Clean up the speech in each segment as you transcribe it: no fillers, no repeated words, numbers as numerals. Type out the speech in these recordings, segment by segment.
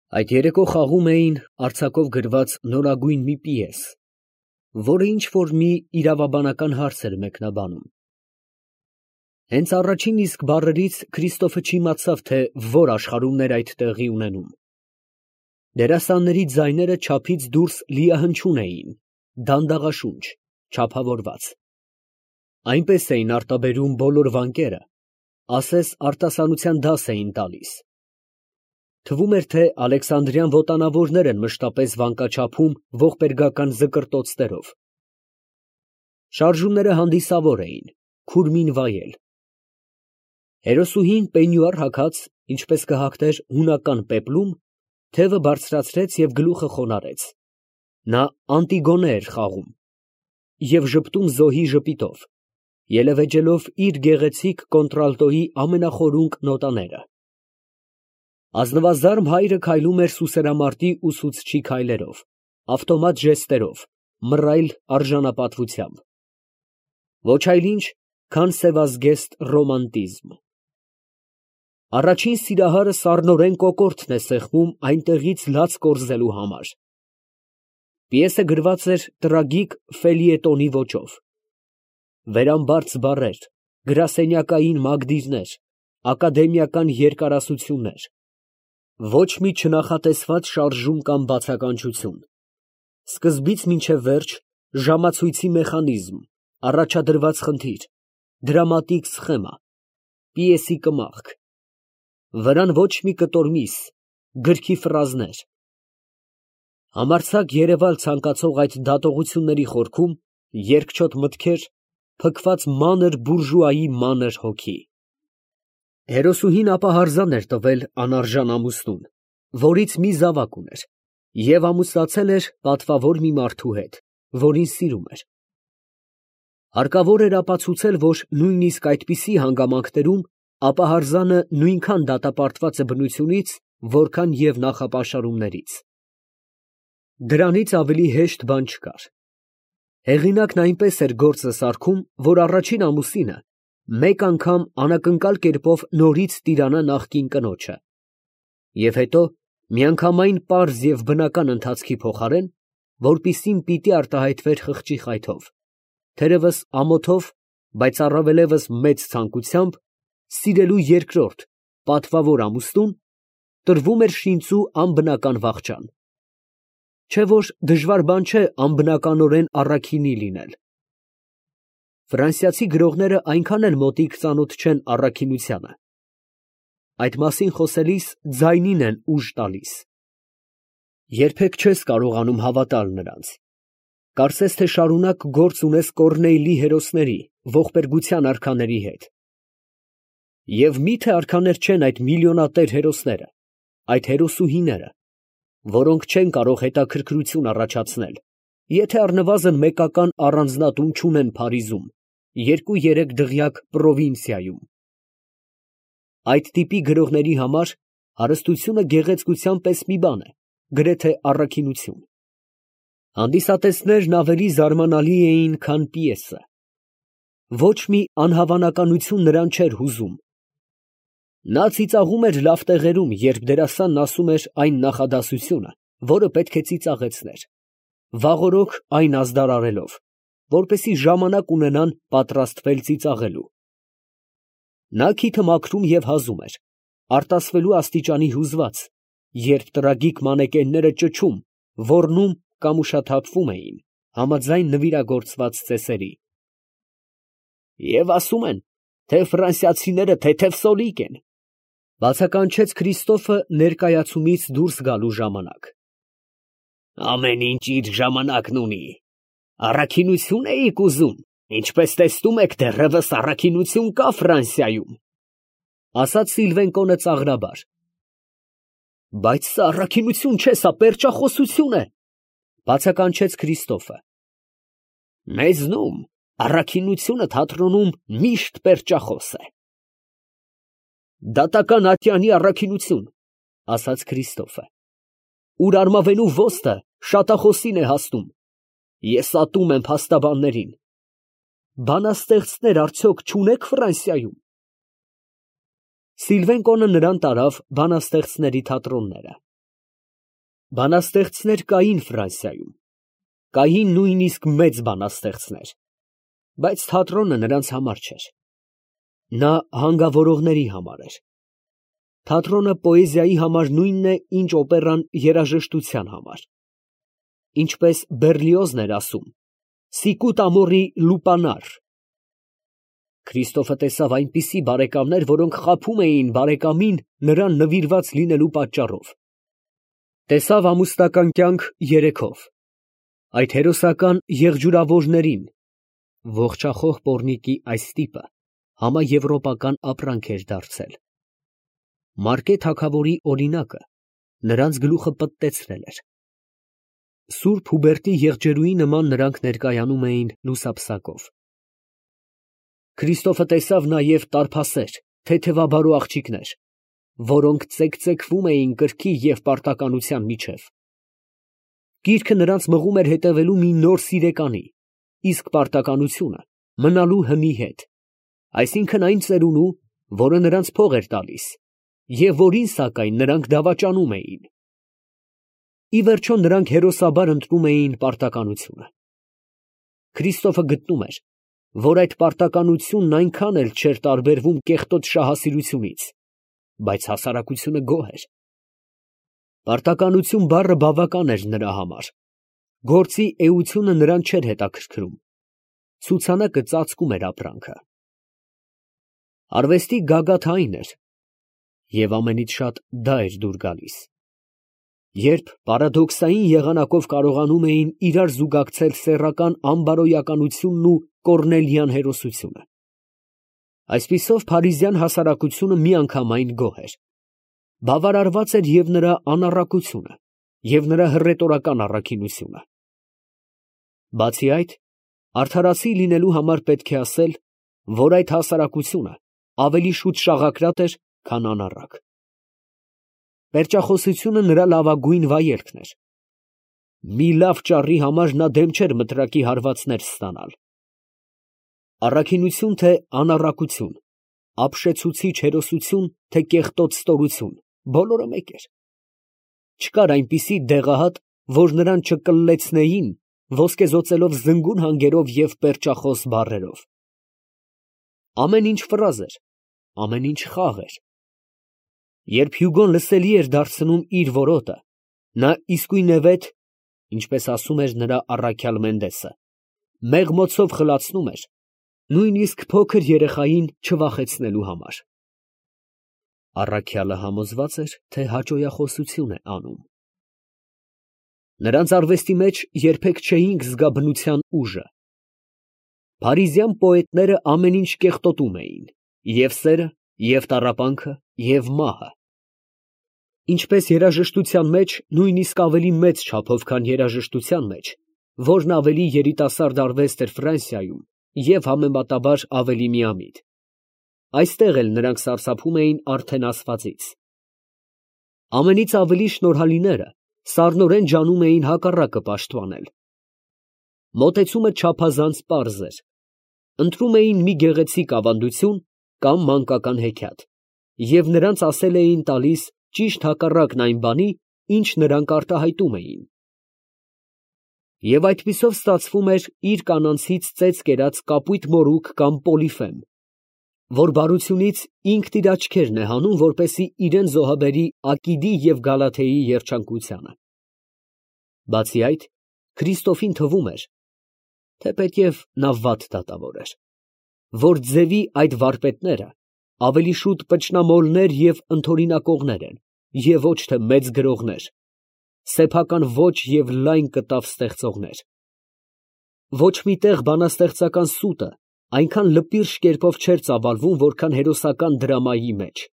Այդ երեկո խաղում էին արձակով գրված նորագույն մի պիես, որը ինչ֊որ մի իրավաբանական հարց էր մեկնաբանում։ Հենց առաջին իսկ բառերից Քրիստոֆը չիմացավ, թե որ աշխարհումներ այդ տեղի ունենում։ Դերասանների ձայները չափից դուրս լիահնչուն էին, դանդաղաշունչ, չափավորված։ Այնպես էին արտաբերում բոլոր վանկերը, ասես արտասանության դաս էին տալիս։ Թվում էր, թե Ալեքսանդրյան ոտանավորներ են մշտապես վանկաչափում ողբերգական զկրտոցներով։ Շարժումները հանդիսավոր էին, քուրմին վայել։ Հերոսուհին պենյուար հագած, ինչպես կհագներ հունական պեպլում, թևը բարձրացրեց և գլուխը խոնարհեց։ Նա Անտիգոնե էր խաղում և ժպտում զոհի ժպիտով, ելևէջելով իր գեղեցիկ կոնտրալտոյի ամենախորունկ նոտաները։ Ազնվազարմ հայրը քայլում էր սուսերամարտի ուսուցչի քայլերով, ավտոմատ ժեստերով, մռայլ արժանապատվությամբ։ Ոչ այլ ինչ, քան սևազգեստ ռոմանտիզմ։ Առաջին սիրահարը սառնորեն կոկորդն է սեղմում այնտեղից լաց կորզելու համար։ Պիեսը գրված էր տրագիկ ֆելիետոնի ոճով։ Վերամբարձ բառեր, գրասենյակային մագդիրներ, ակադեմիական երկարասություններ, ոչ մի չնախատեսված շարժում կամ բացականչություն, սկզբից մինչև վերջ ժամացույցի մեխանիզմ, առաջադրված խնդիր, դրամատիկ սխեմա, պիեսի կմախք, վրան ոչ մի կտոր միս, գրքի ֆրազներ։ Համարձակ երևալ ցանկացող այդ դատողությունների խորքում երկչոտ մտքեր, փքված մանր բուրժուայի մանր հոգի։ Հերոսուհին ապահարզան էր տվել անարժան ամուսնուն, որից մի զավակ ուներ, և ամուսնացել էր պատվավոր մի մարդու հետ, որին սիրում էր։ Հարկավոր էր ապացուցել, որ նույնիսկ այդպիսի հանգամանքներում ապահարզանը նույնքան դատապարտված է բնությունից, որքան և նախապաշարումներից։ Դրանից ավելի հեշտ բան չկար։ Հեղինակն այնպես էր գործը սարքում, որ առաջին ամուսինը մեկ անգամ անակնկալ կերպով նորից տիրանա նախկին կնոջը, և հետո միանգամայն պարզ և բնական ընթացքի փոխարեն, որպիսին պիտի արտահայտվեր խղճի խայթով, թերևս ամոթով, բայց առավելևս մեծ ցանկությամբ, սիրելու երկրորդ, պատվավոր ամուսնուն, տրվում էր շինծու անբնական վախճան։ Չէ՞ որ դժվար բան չէ անբնականորեն առաքինի լինել։ Ֆրանսիացի գրողները այնքան էլ մոտիկ ծանոթ չեն առաքինությանը։ Այդ մասին խոսելիս ձայնին են ուժ տալիս։ Երբեք չես կարողանում հավատալ նրանց։ Կարծես թե շարունակ գործ ունես Կոռնեյլի հերոսների, ողբերգության արքաների հետ։ Եվ մի՞թե արքաներ չեն այդ միլիոնատեր հերոսները, այդ հերոսուհիները, որոնք չեն կարող հետաքրքրություն առաջացնել, եթե առնվազն մեկական առանձնատուն չունեն Փարիզում, 2-3 դղյակ պրովինցիայում։ Այդ տիպի գրողների համար հարստությունը գեղեցկության պես մի բան է, գրեթե առաքինություն։ Հանդիսատեսներն ավելի զարմանալի էին, քան պիեսը։ Ոչ մի անհավանականություն նրան չէր հուզում։ Նա ծիծաղում էր լավ տեղերում, երբ դերասանն ասում էր այն նախադասությունը, որը պետք է ծիծաղեցներ, վաղօրոք այն ազդարարելով, որպեսզի ժամանակ ունենան պատրաստվել ծիծաղելու։ Նա քիթը մաքրում և հազում էր, արտասվելու աստիճանի հուզված, երբ տրագիկ մանեկենները ճչում, ոռնում կամ ուշաթափվում էին, համաձայն նվիրագործված ծեսերի։ Եվ ասում են, թե ֆրանսիացիները թեթև սոլիկ են, բացականչեց Քրիստոֆը ներկայացումից դուրս գալու ժամանակ։ Ամեն ինչ իր ժամանակն ունի։ Առաքինություն էիք ուզում, ինչպես տեսնում եք, դեռևս առաքինություն կա Ֆրանսիայում, ասաց Սիլվենկոնը ծաղրաբար։ Բայց սա առաքինություն չէ, սա պերճախոսություն է, բացականչեց Քրիստոֆը։ Մեզնում առաքինությունը թատրոնում միշտ պերճախոս է։ Դատական ատյանի առաքինություն, ասաց Քրիստոֆը, ուր արմավենու ոստը շատախոսին է հասնում, ես ատում եմ փաստաբաններին։ Բանաստեղծներ արդյոք չունե՞ք Ֆրանսիայում։ Սիլվենկոնը նրան տարավ բանաստեղծների թատրոնները։ Բանաստեղծներ կային Ֆրանսիայում, կային նույնիսկ մեծ բանաստեղծներ, բայց թատրոնը նրանց համար չէր. նա հանգավորողների համար էր։ Թատրոնը պոեզիայի համար նույնն է, ինչ օպերան երաժշտության համար։ Ինչպես Բեռլիոզն էր ասում. «Sicut amori lupanar»։ Քրիստոֆը տեսավ այնպիսի բարեկամներ, որոնք խաբում էին բարեկամին նրան նվիրված լինելու պատճառով։ Տեսավ ամուսնական կյանք երեքով, այդ հերոսական եղջյուրավորներին, ողջախոհ պոռնիկի այս տիպը համաեվրոպական ապրանք էր դարձել։ Մարկե թագավորի օրինակը նրանց գլուխը պտտեցրել էր։ Սուրբ Հուբերտի եղջերուի նման նրանք ներկայանում էին լուսափսակով։ Քրիստոֆը տեսավ նաև տարփասեր, թեթևաբարո աղջիկներ, որոնք ծեքծեքվում էին կրքի և պարտականության միջև։ Գիրքը նրանց մղում էր հետևելու մի նոր սիրեկանի, իսկ պարտականությունը մնալու հնի հետ, այսինքն այն ծերունու, որը նրանց փող էր տալիս, և որին սակայն նրանք դավաճանում էին։ Ի վերջո նրանք հերոսաբար ընտրում էին պարտականությունը։ Քրիստոֆը գտնում էր, որ այդ պարտականությունն այնքան էլ չէր տարբերվում կեղտոտ շահասիրությունից, բայց հասարակությունը գոհ էր։ Պարտականություն բառը բավական էր նրա համար, գործի էությունը նրան չէր հետաքրքրում, ցուցանակը ծածկում էր ապրանքը։ Արվեստի գագաթը այն էր, և ամենից շատ դա էր դուր գալիս, երբ պարադոքսային եղանակով կարողանում էին իրար զուգակցել սեռական անբարոյականությունն ու կոռնելյան հերոսությունը։ Այսպիսով փարիզյան հասարակությունը միանգամայն գոհ էր։ Բավարարված էր և նրա անառակությունը, և նրա հռետորական առաքինությունը։ Բացի այդ, արդարացի լինելու համար պետք է ասել, որ այդ հասարակությունը ավելի շուտ շաղակրատ էր, քան անառակ։ Պերճախոսությունը նրա լավագույն վայելքն էր։ Մի լավ ճառի համար նա դեմ չէր մտրակի հարվածներ ստանալ։ Առաքինություն թե անառակություն, ապշեցուցիչ հերոսություն թե կեղտոտ ստորություն, բոլորը մեկ էր։ Չկար այնպիսի դեղահատ, որ նրան չկլլեցնեին ոսկեզօծելով զնգուն հանգերով և պերճախոս բառերով։ Ամեն ինչ ֆրազ էր, ամեն ինչ խաղ էր։ Երբ Հյուգոն լսելի էր դարձնում իր որոտը, նա իսկույնևեթ, ինչպես ասում էր նրա առաքյալ Մենդեսը, մեղմոցով խլացնում էր, նույնիսկ փոքր երեխային չվախեցնելու համար։ Առաքյալը համոզված էր, թե հաճոյախոսություն է անում։ Նրանց արվեստի մեջ երբեք չէինք զգա բնության ուժը։ Փարիզյան պոետները ամեն ինչ կեղտոտում էին, և սերը, և տառապանքը, և մահը։ Ինչպես երաժշտության մեջ, նույնիսկ ավելի մեծ չափով, քան երաժշտության մեջ, որն ավելի երիտասարդ արվեստ էր Ֆրանսիայում և համեմատաբար ավելի միամիտ, այստեղ էլ նրանք սարսափում էին արդեն ասվածից։ Ամենից ավելի շնորհալիները սառնորեն ջանում էին հակառակը պաշտպանել։ Մոտեցումը չափազանց պարզ էր։ Ընտրում էին մի գեղեցիկ ավանդություն կամ մանկական հեքիաթ, և նրանց ասել էին տալիս ճիշտ հակառակն այն բանի, ինչ նրանք արտահայտում էին։ Եվ այդպիսով ստացվում էր իր կանանցից ծեծ կերած կապույտ մորուք կամ պոլիֆեմ, որ բարությունից ինքն իր աչքերն է հանում, որպեսզի իրան զոհաբերի Ակիդի և Գալաթեի երջանկությանը։ Բացի այդ, Քրիստոֆին թվում էր, թեպետև նա վատ դատավոր էր, որ ձևի այդ վարպետները ավելի շուտ պճնամոլներ և ընդօրինակողներ են, և ոչ թե մեծ գրողներ, սեփական ոճ և լայն կտավ ստեղծողներ։ Ոչ մի տեղ բանաստեղծական սուտը այնքան լպիրշ կերպով չէր ծավալվում, որքան հերոսական դրամայի մեջ։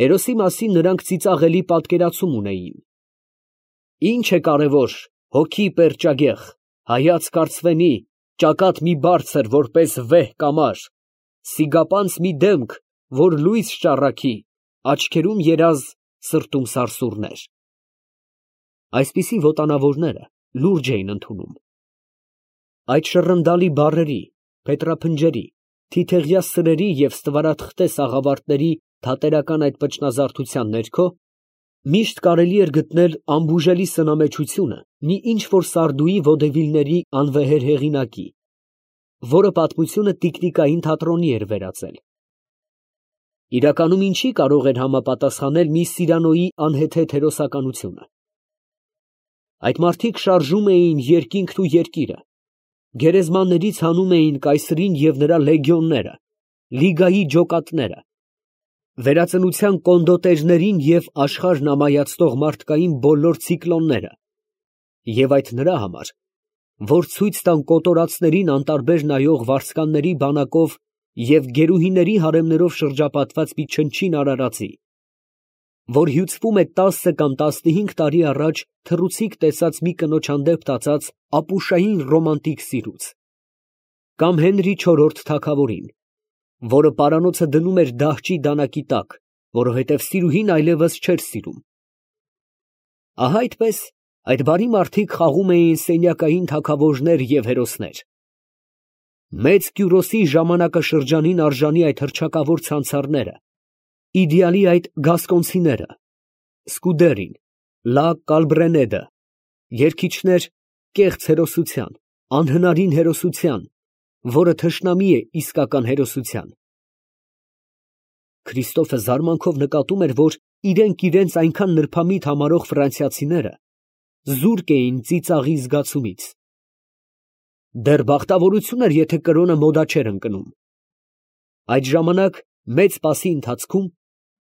Հերոսի մասին նրանք ծիծաղելի պատկերացում ունեին. «Ի՞նչ է կարևոր, հոգի պերճագեղ, հայացք արծվենի, ճակատ մի բարձր, որպես վեհ կամար, սիգապանց մի դեմք, որ լույս շառաքի, աչքերում երազ, սրտում սարսուռներ»։ Այսպիսի ոտանավորները լուրջ էին ընդունում։ Այդ շռնդալի բառերի, փետրափնջերի, թիթեղյա սրերի և ստվարաթղթե սաղավարտների թատերական այդ պճնազարդության ներքո Միշտ կարելի էր գտնել անբուժելի սնամեջությունը մի ինչ-որ սարդուի vodevil-ների անվեհեր հեղինակի, որը պատմությունը տիկնիկային թատրոնի էր վերածել։ Իրականում ինչի կարող էր համապատասխանել մի Սիրանոյի անհեթեթ հերոսականությունը։ Այդ մարդիկ շարժում էին երկինքն ու երկիրը, գերեզմաններից հանում էին կայսրին և նրա լեգիոնները, լիգայի ջոկատները, վերածնության կոնդոտերներին և աշխարհն ամայացնող մարդկային բոլոր ցիկլոնները, և այդ նրա համար, որ ցույց տան կոտորածներին անտարբեր նայող վարձկանների բանակով և գերուհիների հարեմներով շրջապատված մի չնչին արարածի, որ հյուծվում է 10 կամ 15 տարի առաջ թռուցիկ տեսած մի կնոջ հանդեպ տածած ապուշային ռոմանտիկ սիրուց, կամ Հենրի IV թագավորին, որը պարանոցը դնում էր դահճի դանակի տակ, որովհետև սիրուհին այլևս չէր սիրում։ Ահա այդպես այդ բարի մարդիկ խաղում էին սենյակային թագավորներ և հերոսներ։ Մեծ Կյուրոսի ժամանակաշրջանին արժանի այդ հռչակավոր ցանցարները, իդեալի այդ գասկոնցիները, Սկուդերին, Լա Կալբրենեդը, երգիչներ կեղծ հերոսության, անհնարին հերոսության, որը թշնամի է իսկական հերոսության։ Քրիստոֆը զարմանքով նկատում էր, որ իրենք իրենց այնքան նրբամիտ համարող ֆրանսիացիները զուրկ էին ծիծաղի զգացումից։ Դեռ բախտավորություն էր, եթե կրոնը մոդա չէր ընկնում։ Այդ ժամանակ մեծ պասի ընթացքում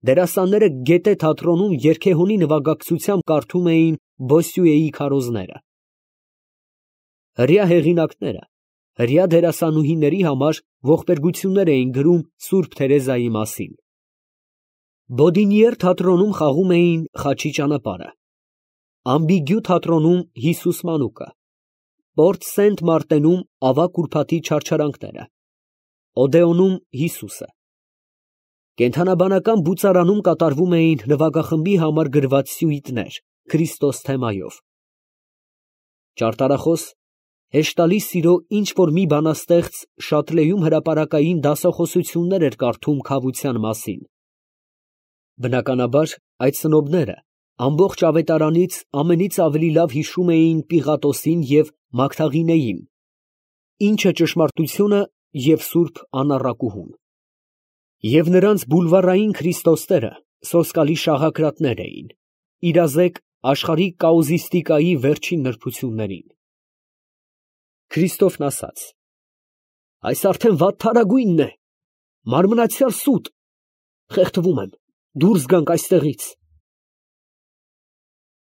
դերասանները գետե թատրոնում երգեհոնի նվագակցությամբ կարդում էին Բոսյուեի քարոզները։ Հրեա հեղինակները հրեա դերասանուհիների համար ողբերգություններ էին գրում Սուրբ Թերեզայի մասին։ Բոդինիեր թատրոնում խաղում էին Խաչի ճանապարհը, Ամբիգյու թատրոնում Հիսուս մանուկը, Պորտ Սենտ Մարտենում ավագ ուրբաթի չարչարանքները, Օդեոնում Հիսուսը։ Կենդանաբանական բուծարանում կատարվում էին նվագախմբի համար գրված սյուիտներ Քրիստոս թեմայով։ Ճարտարախոս հեշտալի սիրո ինչ որ մի բանաստեղծ Շատլեում հրապարակային դասախոսություններ էր կարդում քավության մասին։ Բնականաբար այդ սնոբները ամբողջ ավետարանից ամենից ավելի լավ հիշում էին Պիղատոսին և Մագդաղինեին, ինչը ճշմարտությունը և սուրբ անառակուհուն։ Եվ նրանց բուլվարային Քրիստոսները սոսկալի շաղակրատներ էին, իրազեկ աշխարհիկ կաուզիստիկայի վերջին նրբություններին։ Քրիստոֆն ասաց. «Այս արդեն վատթարագույնն է, մարմնացյալ սուտ, խեղդվում եմ, դուրս գանք այստեղից»։